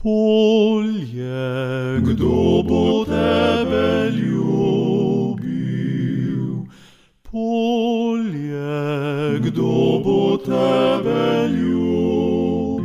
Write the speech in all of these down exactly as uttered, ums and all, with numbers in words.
Polje, kdo bo tebe ljubil? Polje, kdo bo tebe ljubil?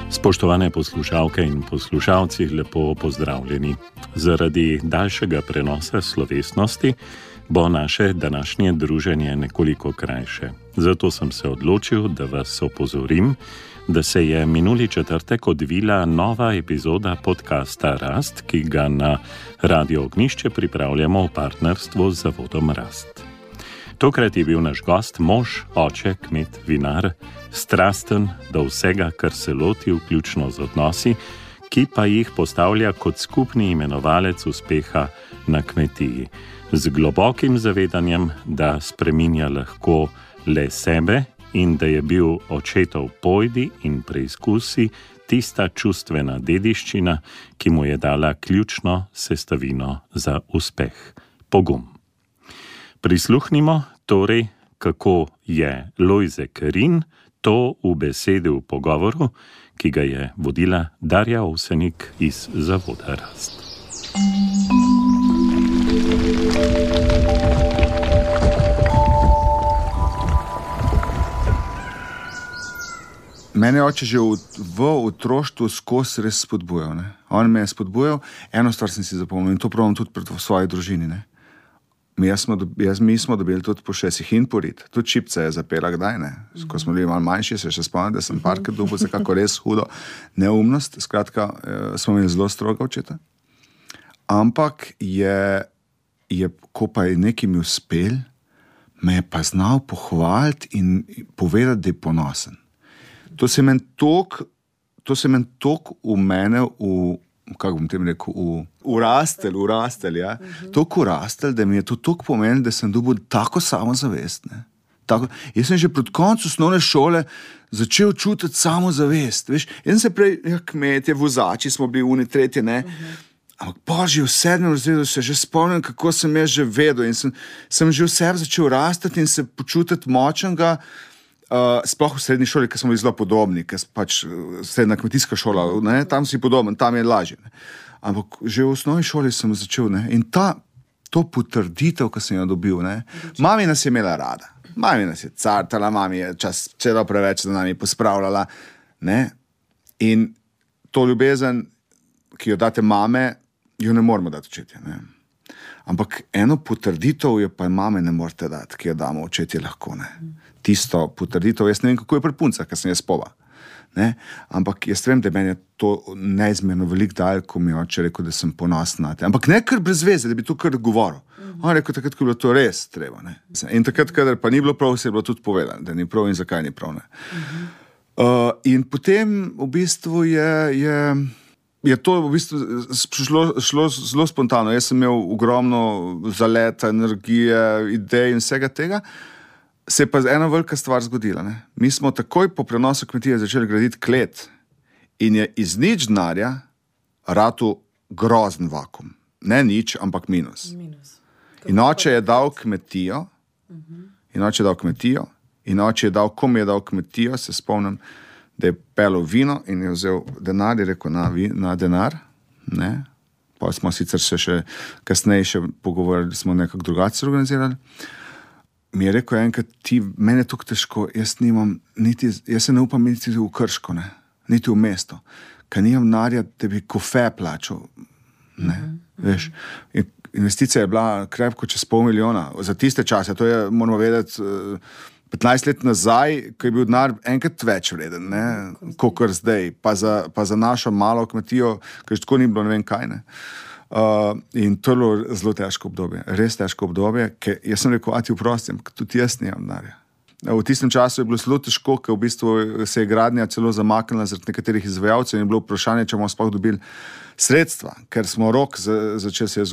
Spoštovane poslušalke in poslušalci, lepo pozdravljeni. Zaradi daljšega prenosa slovesnosti bo naše današnje druženje nekoliko krajše. Zato sem se odločil, da vas opozorim, da se je minuli četrtek odvila nova epizoda podcasta Rast, ki ga na Radio Ognjišče pripravljamo v partnerstvu z Zavodom Rast. Tokrat je bil naš gost mož, oče, kmet, vinar, strasten do vsega, kar se loti, vključno z odnosi, ki pa jih postavlja kot skupni imenovalec uspeha na kmetiji, z globokim zavedanjem, da spreminja lahko le sebe in da je bil očetov pojdi in preizkusi tista čustvena dediščina, ki mu je dala ključno sestavino za uspeh, pogum. Prisluhnimo torej, kako je Lojze Kerin to ubesedi v pogovoru, ki ga je vodila Darja Ovsenik iz Zavoda Rast. Mene oče že v, v otroštvu skozi res spodbujal. Ne? On me je spodbujal, eno stvar sem si zapomnil in to pravim tudi pred svoji družini. Ne? Mi, smo, jaz, mi smo dobili tudi po šestih in porit. Tudi Čipca je zapela kdaj, ne. Ko smo bili malo manjši, se še spomnim, da sem parkrat dobil za kako res hudo neumnost. Skratka, smo imeli zelo stroga očeta. Ampak je, je, ko pa je nekaj mi uspel, me je pa znal pohvaliti in povedati, da je ponosen. To se meni tok, to se meni tok v mene v kako bom tem rekel, v, urastel, urastel, ja. Uh-huh. Tok urastel, da mi je to tok pomenil, da sem dobil tako samozavest, ne. Tako, jaz sem že pred koncu osnovne šole začel čutiti samozavest, veš. Jaz sem se prej, ja, kmetje, vozači smo bili uni, tretje, ne. Uh-huh. Ampak pa že v sedmem razredu se že spomnim, kako sem jaz že vedel in sem, sem že v sebi začel rastati in se počutiti močnega. Uh, sploh v srednji šoli, ker smo bili zelo podobni, ker pač srednja kmetijska šola, ne, tam si podoben, tam je lažje. Ne. Ampak že v osnovni šoli sem začel, ne, in ta, to potrditev, ki sem jo dobil, ne, mami nas je imela rada, mami nas je cartala, mami je čas celo preveč za nami pospravljala, ne, in to ljubezen, ki jo date mame, jo ne moramo dati očetje, ne. Ampak eno potrditev jo pa mame ne morate dati, ki jo damo očetje lahko, ne. Tisto potrditev, jaz ne vem, kako je pri puncah, ker sem jaz pova. Ne? Ampak jaz vem, da meni je to neizmerno velik dal, ko mi je oče rekel, da sem ponosen na te. Ampak ne kar brez veze, da bi to kar govoril. Mm-hmm. On rekel, takrat, ko je bilo to res treba. Ne? In takrat, kadar pa ni bilo prav, se je bilo tudi povedano, da ni prav in zakaj ni prav. Ne? Mm-hmm. Uh, in potem v bistvu je, je, je to v bistvu šlo, šlo zelo spontano. Jaz sem imel ogromno zaleta, energije, idej in vsega tega. Se je pa ena velika stvar zgodila. Ne? Mi smo takoj po prenosu kmetije začeli graditi klet in je iz nič denarja ratu grozen vakum. Ne nič, ampak minus. minus. In oče je dal kmetijo, uh-huh. in oče je dal kmetijo, in oče je dal, kom je dal kmetijo, se spomnim, da je pelil vino in je vzel denar in rekel na, na denar. Ne? Pa smo sicer se še kasneje še pogovorili, smo nekako drugače organizirali. Mi je rekel enkrat, ti, mene je tako težko, jaz nimam, niti, jaz se ne upam niti v Krško, ne, niti v mesto, ker nimam denarja, da bi kofe plačal, ne, mm-hmm. veš. In investicija je bila krepko čez pol milijona, za tiste čase, to je, moramo vedeti, petnajst let nazaj, ko je bil denar enkrat več vreden, ne, kakor zdaj, pa za, pa za našo malo kmetijo, ker že tako ni bilo ne vem kaj, ne. Uh, in to je bilo zelo težko obdobje, res težko obdobje, ker jaz sem rekel, a ti vprostim, tudi jaz nimam denarja. V tistem času je bilo zelo težko, ker v bistvu se je gradnja celo zamaknila zaradi nekaterih izvajalcev in je bilo vprašanje, če bomo sploh dobili sredstva, ker smo rok začeli se,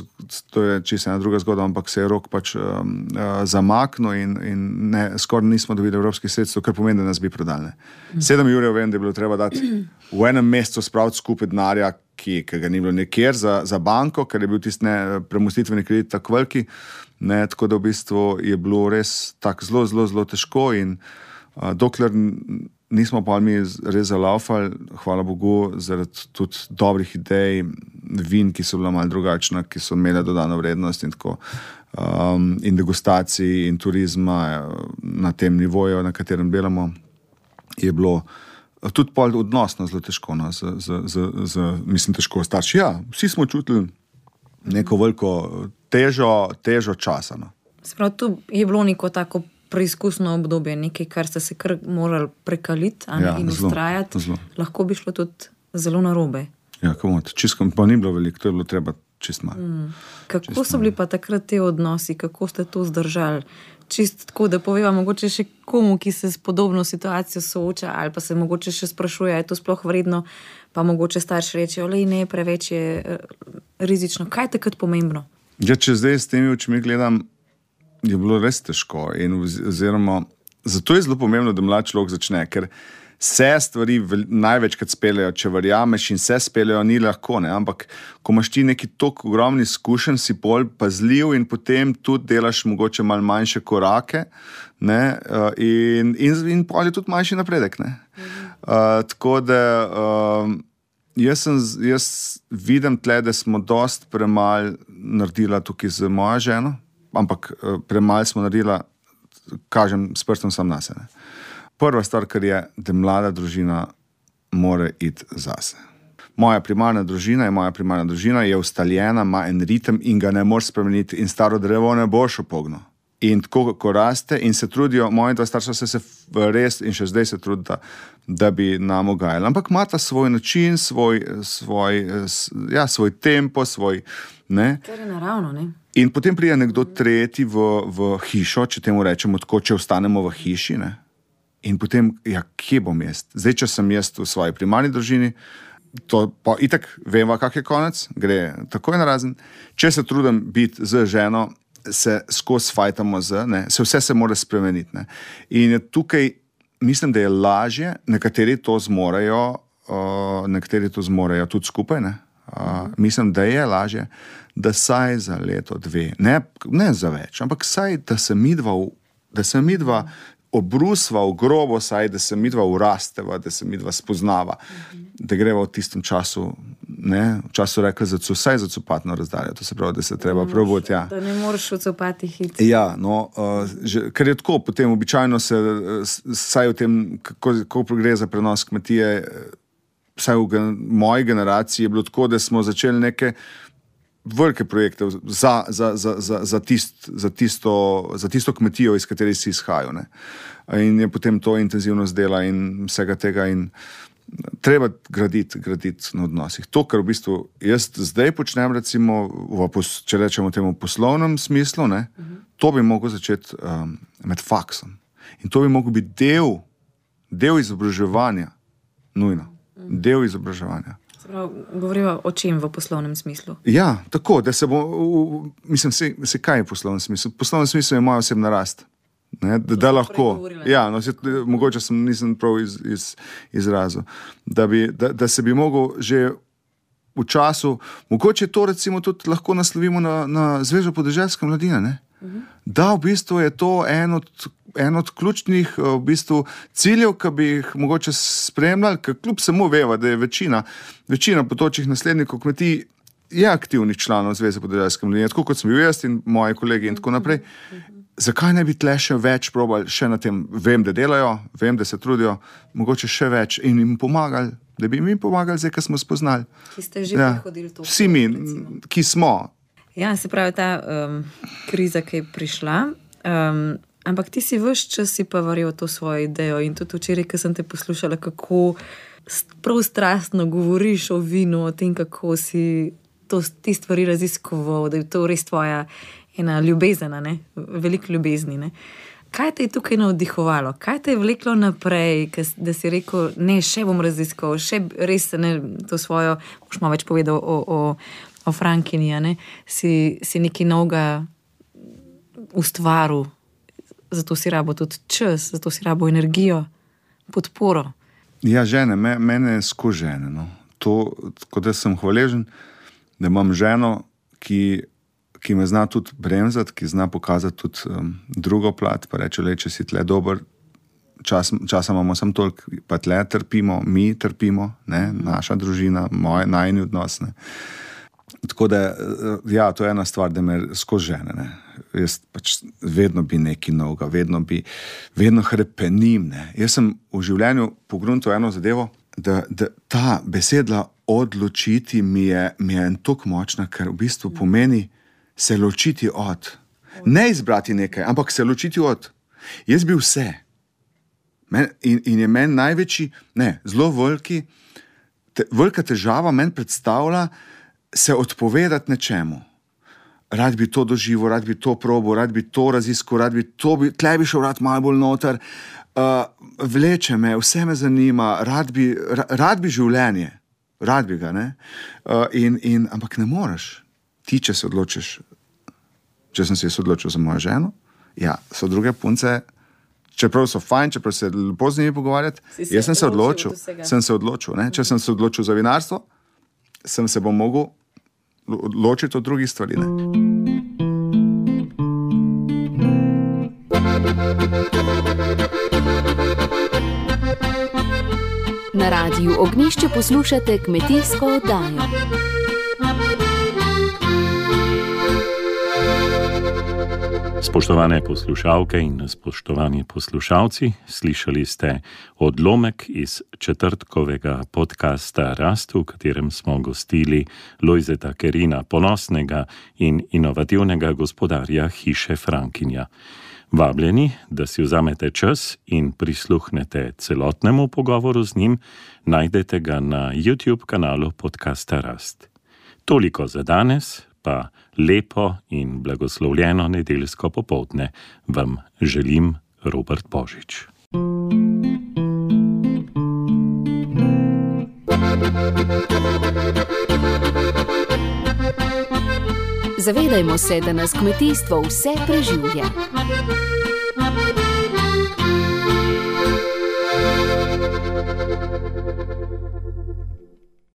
to je čisto ena druga zgodba, ampak se je rok pač um, uh, zamaknil in, in ne, skoraj nismo dobili evropskih sredstev, kar pomeni, da nas bi prodali. Sedem jurjev vem, da je bilo treba dati v enem mesecu spraviti skupaj denarja, ki, ki ga ni bilo nekjer za, za banko, ker je bil tisti ne, premostitveni kredit tako veliki, ne, tako da v bistvu je bilo res tako zelo, zelo, zelo težko in uh, dokler nismo pa mi res zalaufali, hvala Bogu, zaradi tudi dobrih idej, vin, ki so bila malo drugačna, ki so imele dodano vrednost in tako, um, in degustacij in turizma na tem nivoju, na katerem delamo, je bilo tudi pol odnosno zelo težko, no, z, z, z, z, mislim, težko starši. Ja, vsi smo čutili neko veliko težo, težo časa. No. Sprav, tu je bilo neko tako preizkusno obdobje, nekaj, kar ste se kar morali prekaliti ja, in ustrajati. Lahko bi šlo tudi zelo narobe. Ja, komot. Čisto pa ni bilo veliko, to je bilo treba čist malo. Mm. Kako čist so bili pa takrat te odnosi, kako ste to zdržali? Čist tako, da poveva mogoče še komu, ki se s podobno situacijo sooča, ali pa se mogoče še sprašuje, je to sploh vredno, pa mogoče starši reče, olej ne, preveč je rizično. Kaj je takrat pomembno? Ja, če zdaj s temi očmi gledam, je bilo res težko in oziroma, zato je zelo pomembno, da mlad človek začne, ker se stvari največkrat speljajo, če verjameš in se speljajo, ni lahko, ne, ampak ko imaš ti neki tok ogromni izkušenj, si pol pazljiv in potem tudi delaš mogoče malo manjše korake, ne, in, in, in pol je tudi manjši napredek, ne. Mhm. Uh, tako da uh, jaz, sem, jaz vidim tle, da smo dost premal naredila tukaj z mojo ženo, ampak uh, premal smo naredila, kažem, s prstom sam nase, ne. Prva stvar, kar je, da mlada družina mora iti zase. Moja primarna družina je moja primarna družina, je ustaljena, ima en ritem in ga ne moreš spremeniti in staro drevo ne boš opognil. In tako, ko raste in se trudijo, moji dva starša se, se res in še zdaj se trudita, da bi nam ugajali. Ampak imata svoj način, svoj, svoj, ja, svoj tempo, svoj, ne. Kar je naravno, ne. In potem pride nekdo tretji v, v hišo, če temu rečemo tako, če ostanemo v hiši, ne. In potem, ja, kje bom jaz? Zdaj, če sem jaz v svoji primarni družini, to pa itak veva, kak je konec, gre takoj narazen. Če se trudim biti z ženo, se skozi fajtamo z, ne, se vse se mora spremeniti, ne. In tukaj mislim, da je lažje, nekateri to zmorejo, uh, nekateri to zmorejo tudi skupaj, ne. Uh, mislim, da je lažje, da saj za leto, dve, ne, ne za več, ampak saj, da se midva, da se midva obrusva v grobo, saj, da se midva urasteva, da se midva spoznava, mm-hmm. da greva v tistem času, ne, v času rekla za vsaj za copatno razdaljo, to se pravi, da se treba proboti, ja. Da ne moreš v copati hitri. Ja, no, uh, že, ker je tako, potem običajno se, saj v tem, kako, kako gre za prenos kmetije, saj v gen, moji generaciji je bilo tako, da smo začeli neke velike projekte za, za, za, za, za, tist, za, tisto, za tisto kmetijo, iz kateri si izhajal, ne. In je potem to intenzivnost dela in vsega tega in treba graditi, graditi na odnosih. To, kar v bistvu jaz zdaj počnem, recimo, v, če rečemo temu poslovnem smislu, ne, uh-huh. to bi mogel začeti um, med faksom. In to bi mogel biti del, del izobraževanja, nujno, uh-huh. del izobraževanja. Govorimo o čem v poslovnem smislu? Ja, tako, da se bo, mislim, se, se kaj je poslovnem smislu? Poslovnem smislu je moja osebna rast. Ne, da, da lahko, ja, no, se, mogoče sem, nisem prav iz, iz, izrazil, da, bi, da, da se bi mogel že v času, mogoče to recimo tudi lahko naslovimo na, na Zvezo podeželske mladine, ne? Uh-huh. Da v bistvu je to en od, en od ključnih v bistvu ciljev, ki bi jih mogoče spremljali, ker kljub samo veva, da je večina, večina potočih naslednikov kmetij je aktivnih članov Zveze podeželske mladine, tako kot sem bil jaz in moji kolegi in tako naprej. Uh-huh. Zakaj ne bi tle še več probali še na tem, vem, da delajo, vem, da se trudijo, mogoče še več in jim pomagali, da bi jim pomagali zdaj, ko smo spoznali. Ki ste že ja, prihodili to. Vsi mi, ki smo. Ja, se pravi, ta um, kriza, ki je prišla, um, ampak ti si ves čas si pa verjel to svojo idejo in tudi včeraj, ko sem te poslušala, kako prav strastno govoriš o vinu, o tem, kako si to, ti stvari raziskoval, da je to res tvoja ena ljubezena, ne? Veliko ljubezni. Ne? Kaj te je tukaj navdihovalo? Kaj te je vleklo naprej, da si rekel, ne, še bom raziskoval, še res ne, to svojo, boš malo več povedal o, o, o Frankini, ne? Si, si nekaj novega ustvaril, zato si rabo tudi čas, zato si rabo energijo, podporo. Ja, žene, me, mene je skozi žene, no. to, tako da sem hvaležen, da imam ženo, ki, ki me zna tudi bremzati, ki zna pokazati tudi um, drugo plat, pa reče, le, če si tle dober, čas, časa imamo samo toliko, pa tle trpimo, mi trpimo, ne, naša družina, moje, najni odnos, ne. Tako da, ja, to je ena stvar, da me skozi žene, ne. Jaz pač vedno bi nekaj novega, vedno bi, vedno hrepenim, ne. Jaz sem v življenju pogruntil eno zadevo, da, da ta besedla odločiti mi je, mi je en tok močna, ker v bistvu pomeni se ločiti od. Ne izbrati nekaj, ampak se ločiti od. Jaz bi vse. Men, in, in je meni največji, ne, zelo veliki, te, velika težava meni predstavlja se odpovedati nečemu. Rad bi to doživel, rad bi to probil, rad bi to raziskal, rad bi to, bi, tle bi šel rad malo bolj noter, uh, vleče me, vse me zanima, rad bi, ra, rad bi življenje, rad bi ga, ne? Uh, in, in, ampak ne moreš. Ti, če se odločiš, če sem se jaz odločil za mojo ženo, ja, so druge punce, čeprav so fajn, čeprav se lepo z njimi pogovarjati, jaz sem se odločil, sem se odločil, ne? Če sem se odločil za vinarstvo, sem se bom mogel ločiti od drugih stvari, ne. Na Radiu Ognjišče poslušate kmetijsko oddajo. Spoštovane poslušalke in spoštovani poslušalci, slišali ste odlomek iz četrtkovega podcasta Rast, v katerem smo gostili Lojzeta Kerina, ponosnega in inovativnega gospodarja hiše Frankinja. Vabljeni, da si vzamete čas in prisluhnete celotnemu pogovoru z njim, najdete ga na YouTube kanalu podcasta Rast. Toliko za danes, pa lepo in blagoslovljeno nedeljsko popoldne vam želim Robert Božič. Zavedajmo se, da nas kmetijstvo vse preživlja.